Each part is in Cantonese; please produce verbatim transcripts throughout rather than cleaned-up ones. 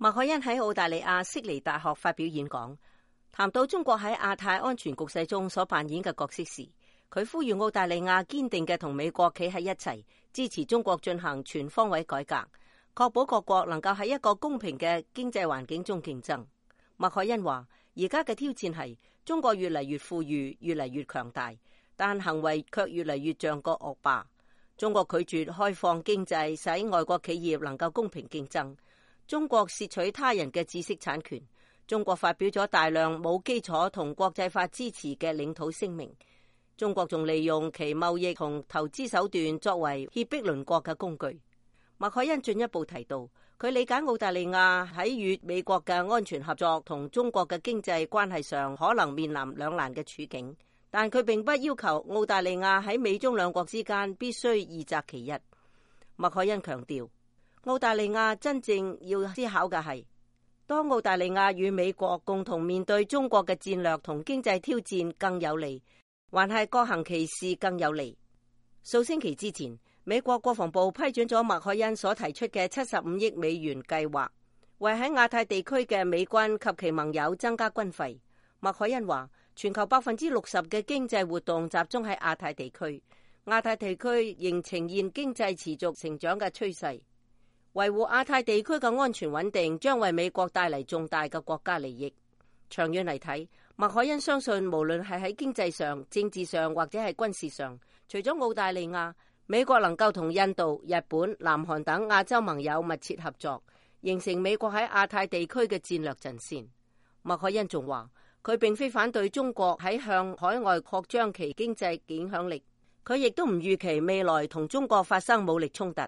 麥凱恩喺澳大利亞悉尼大學發表演講，談到中國喺亞太安全局勢中所扮演嘅角色時，佢呼籲澳大利亞堅定嘅同美國企喺一齊，支持中國進行全方位改革，確保各國能夠喺一個公平嘅經濟環境中競爭。麥凱恩話：而家嘅挑戰係中國越嚟越富裕，越嚟越強大，但行為卻越嚟越像個惡霸。中國拒絕開放經濟，使外國企業能夠公平競爭。中國竊取他人嘅知識產權，中國發表咗大量冇基礎同國際法支持嘅領土聲明，中國仲利用其貿易同投資手段作為脅迫鄰國嘅工具。麥凱恩進一步提到，佢理解澳大利亞喺與美國嘅安全合作同中國嘅經濟關係上可能面臨兩難嘅處境，但佢並不要求澳大利亞喺美中兩國之間必須二擇其一。麥凱恩強調，澳大利亞真正要思考嘅係，當澳大利亞與美國共同面對中國嘅戰略同經濟挑戰更有利，還係各行其事更有利？數星期之前，美國國防部批准咗麥凱恩所提出嘅七十五億美元計劃，為喺亞太地區嘅美軍及其盟友增加軍費。麥凱恩話，全球百分之六十嘅經濟活動集中喺亞太地區，亞太地區仍呈現經濟持續成長嘅趨勢。維護亞太地區嘅安全穩定將為美國帶嚟重大嘅國家利益。長遠嚟睇，麥凱恩相信無論係喺經濟上、政治上或者係軍事上，除咗澳大利亞，美國能夠同印度、日本、南韓等亞洲盟友密切合作，形成美國喺亞太地區嘅戰略陣線。麥凱恩仲話，佢並非反對中國喺向海外擴張其經濟影響力，佢亦都唔預期未來同中國發生武力衝突。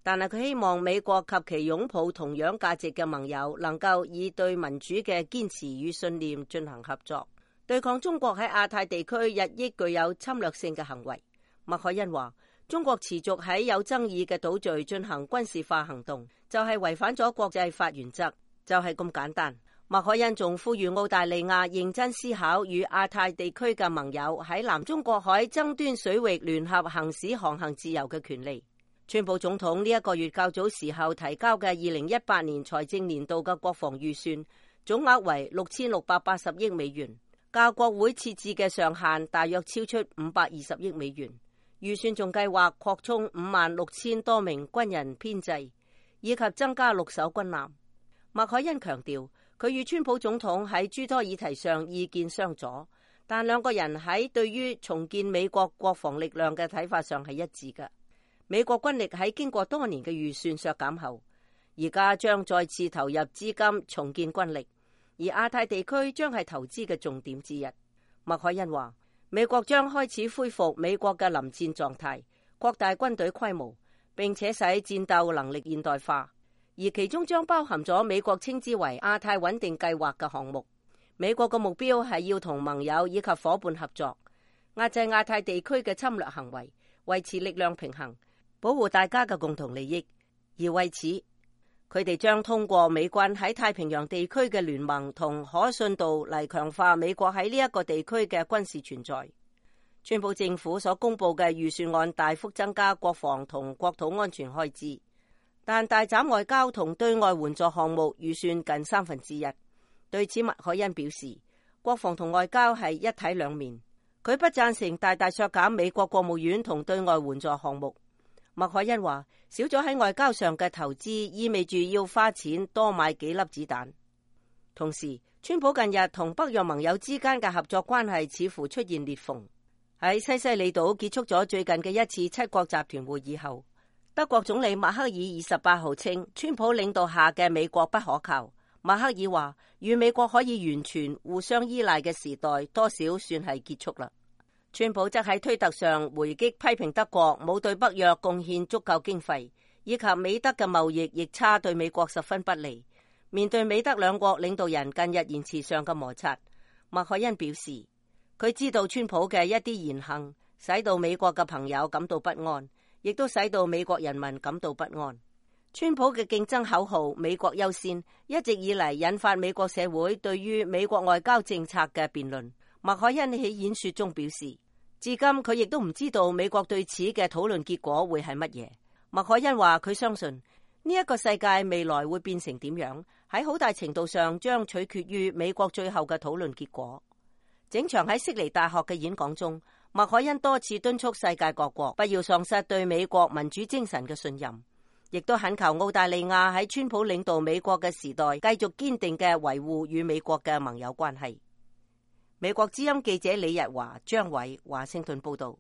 但係佢希望美國及其擁抱同樣價值嘅盟友能夠以對民主嘅堅持與信念進行合作，對抗中國喺亞太地區日益具有侵略性嘅行為。麥凱恩話，中國持續喺有爭議嘅島嶼進行軍事化行動，就係違反咗國際法原則，就係咁簡單。麥凱恩仲呼籲澳大利亞認真思考與亞太地區嘅盟友喺南中國海爭端水域聯合行使航行自由嘅權利。川普總統呢一個月較早時候提交嘅二零一八年財政年度嘅國防預算總額為六千六百八十億美元，較國會設置嘅上限大約超出五百二十億美元。預算仲計劃擴充五萬六千多名軍人編制，以及增加六艘軍艦。麥凱恩強調，佢與川普總統喺諸多議題上意見相左，但兩個人喺對於重建美國國防力量嘅睇法上係一致嘅。美國軍力喺經過多年嘅預算削減後，而家將再次投入資金重建軍力，而亞太地區將係投資嘅重點之一。麥凱恩話，美國將開始恢復美國嘅臨戰狀態，擴大軍隊規模，並且使戰鬥能力現代化，而其中將包含咗美國稱之為亞太穩定計劃嘅項目。美國嘅目標係要同盟友以及夥伴合作，壓制亞太地區嘅侵略行為，維持力量平衡，保護大家嘅共同利益。而為此，佢哋將通過美軍喺太平洋地區嘅聯盟同可信度嚟強化美國喺呢一個地區嘅軍事存在。川普政府所公布嘅預算案大幅增加國防同國土安全開支，但大斬外交同對外援助項目預算近三分之一。對此，麥凱恩表示，國防同外交係一體兩面，佢不贊成大大削減美國國務院同對外援助項目。麥凱恩話，少咗喺外交上嘅投資，意味住要花錢多買幾粒子彈。同時，川普近日同北約盟友之間嘅合作關係似乎出現裂縫。喺西西里島結束咗最近嘅一次七國集團會議後，德國總理默克爾二十八號稱，川普領導下嘅美國不可靠。默克爾話，與美國可以完全互相依賴嘅時代，多少算係結束啦。川普則喺推特上回擊批評德國冇對北約貢獻足夠經費，以及美德嘅貿易逆差對美國十分不利。面對美德兩國領導人近日言辭上嘅摩擦，麥凱恩表示，佢知道川普嘅一啲言行使到美國嘅朋友感到不安，亦都使到美國人民感到不安。川普嘅競爭口號美國優先一直以嚟引發美國社會對於美國外交政策嘅辯論。麥凱恩喺演說中表示，至今佢亦都唔知道美國對此嘅討論結果會係乜嘢。麥凱恩話，佢相信呢一個世界未來會變成點樣，喺好大程度上將取決於美國最後嘅討論結果。整場喺悉尼大學嘅演講中，麥凱恩多次敦促世界各國不要喪失對美國民主精神嘅信任，亦都懇求澳大利亞喺川普領導美國嘅時代繼續堅定嘅維護與美國嘅盟友關係。美國之音記者李日華、張偉華盛頓報道。